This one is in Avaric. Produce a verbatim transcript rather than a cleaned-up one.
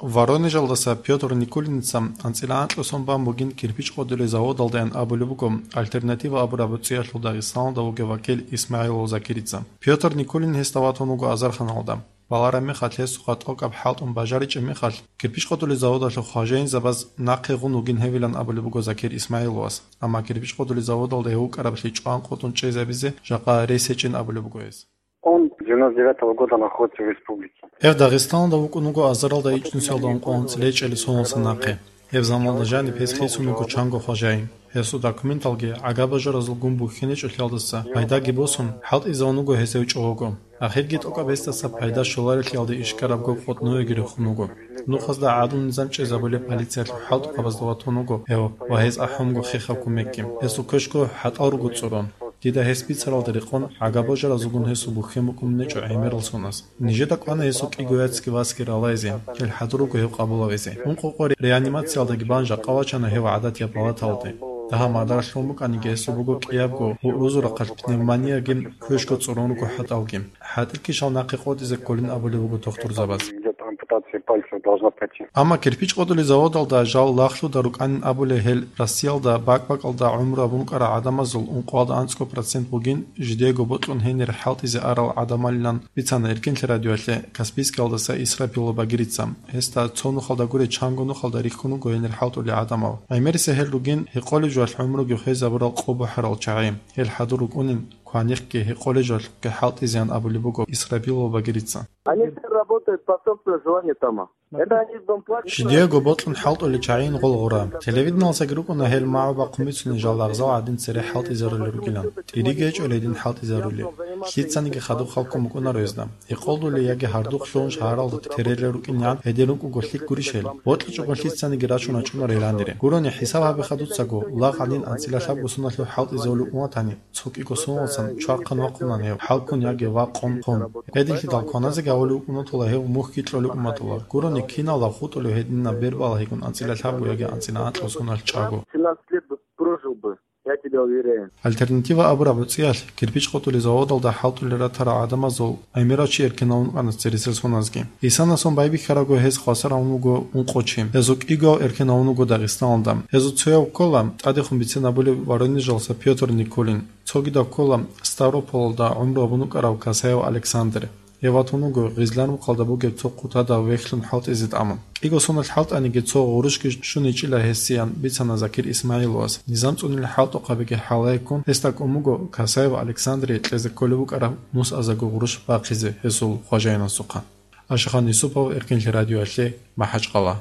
Воронежалдаса Пётр Никулиница анцӀила анкьго сон бан бугин кирпич къотӀулел заводалдаян абулеб буго «Альтернатива» абураб гӀуцӀиялъул Дагъистаналда вугев вакил ИсмагӀилов Закирица. Пётр Никулин гьесда ватун вуго Азарханалда. Балараб мехалъ гьесухъа тӀокӀаб хӀалтӀун бажаричӀеб мехалъ, кирпич къотӀулел заводалъул хважаинзабаз нахъе гъун вугин гьевилан абулеб буго Закир ИсмагӀиловас, амма кирпич къотӀулел заводалда гьев вукӀараблъи чӀван къотӀун чӀезабизе жакъа рес гьечӀин абулеб буго гьес. Он с девяносто девятого года находится в республике. Гьев Дагъистаналда вукӀун вуго азаралда ичӀнусиялда ункъо анцӀила гьечӀелил соналдаса нахъе. Гьеб заманалда жаниб гьес хисун вуго чанго хважаин. Гьесул документалги гӀага-бажаразулгун бухьинчӀолъиялдаса пайдаги босун, хӀалтӀизавун вуго гьес гьев чӀого. Ахирги тӀокӀаб гьесдаса пайда щоларелъиялде ишкарабго къотӀнуеги рехун вуго. Нухазда гӀадлу-низам чӀезабулеб полициялъул хӀалтӀухъабазда ватун вуго гьев ва гьез ахӀунго хехаб кумекги. Гьесул квешго хӀатӀал руго цӀурун. Дида гьес бицаралда рекъон, гӀага-бажаразулгун гьесул бухьен букӀунеб гьечӀо гӀемерал соназ. Нижеда кӀвана гьесул кӀиго яцги васги ралайзе, гьел хӀадур руго гьев къабулавизе. Ункъо къо реанимациялдаги бан жакъа вачана гьев гӀадатияб палаталде. Дагьаб мадар лъун букӀаниги гьесул буго кӀиябго гьурузул рахъалъ пневмонияги квешго цӀурун руго хӀатӀалги. ХӀатӀил кишал нахъе къотӀизе кколин абулеб буго тухтурзабаз. Идёт ампутация пальцев, должна пройти. Амма кирпич къотӀулел заводалда жал лагълъуда рукӀанин абулей гьел Россиялда бакӀ-бакӀалда гӀумру гьабун рукӀарал гӀадамазул ункъоялда анцӀго процент бугин жидеего бокьун гьенир хӀалтӀизе арал гӀадамалилан бицана Эркинлъи радиоялъе Каспийскиялдаса Исрапилов Багирица. Гьесда цо нухалда гурей чанго нухалда рихьун руго гьенир хӀалтӀулел гӀадамал. ГӀемерисеб гьел ругин гьекъолеб жоялъ гӀумруги хвезабурал къо бухӀарал чагӀи. Гьел хӀадур рукӀунин кванихъги гьекъолеб жоялъухъги хӀалтӀизеян абулеб буго Исрапилов Багирица. Они все работают по собственному желанию там. Это они дом платят. Жидеего бокьун хӀалтӀулел чагӀийин гъол гъура. Телевидениялдасаги рукӀуна гьел магӀу бахъун бицунел жал лагъзал гӀадин цере хӀалтӀизарулел ругилан. ТӀириги гьечӀо гьедин хӀалтӀизарулел. Лъицаниги хадуб халкъун букӀунаро гьезда. Гьекъолдулей яги гьардухъ лъугьун шагьаралда терелел рукӀинегӀан гьедин рукӀуго лъикӀ гурищ гьел. БокьичӀого лъицаниги рачун рачӀунаро гьеланире. Гурони хӀисаб гьабе хадуцаго, лагъ гӀадин анцӀила лъабго соналъул хӀалтӀизавулев уматани, цо кӀиго соналдасан чвахъан вахъунани гьев, хӀалкун яги вакъун хъун. Гьединлъидал кваназеги гьавулев уматула гьев мухьги кьолев уматула. Гурони киналда хутӀулев гьединаб бер балагьигун анцӀила лъабго яги анцӀила анкьго соналъ чӀаго. Семнадцать лет бы прожил бы, я тебя уверяю. «Альтернатива» абураб гӀуцӀиялъ кирпич къотӀулел заводалда хӀалтӀулел ратарал гӀадамазул гӀемерав чи эркенавун вукӀана цересел соназги. Исанасон байбихьарабго гьез хвасар гьавун вуго ункъо чи. Гьезул кӀигояв эркенавун вуго Дагъистаналда. Гьезул цояв ккола тӀадехун бицен абулеб Воронежалдаса Пётр Никулин. Цогидав ккола Ставрополалда гӀумру гьабун вукӀарав Касаев Александр. Гьев ватун вуго Гъизлан-Мухъалда бугеб цо хъутадав вехьлъун хӀалтӀизе тӀамун. КӀиго соналъ хӀалтӀаниги цо гъурущги щун гьечӀила гьесиян бицана Закир ИсмагӀиловас. Низам цӀунел хӀалтӀухъабиги хӀалаяккун гьесда кӀун буго Касаев Александрие кьезе кколеб букӀараб нусазего гъурущ бахъизе гьесул хважаинасухъа. Ашихан Юсупов, Эркинлъи радиоялъе, МахӀачкъала.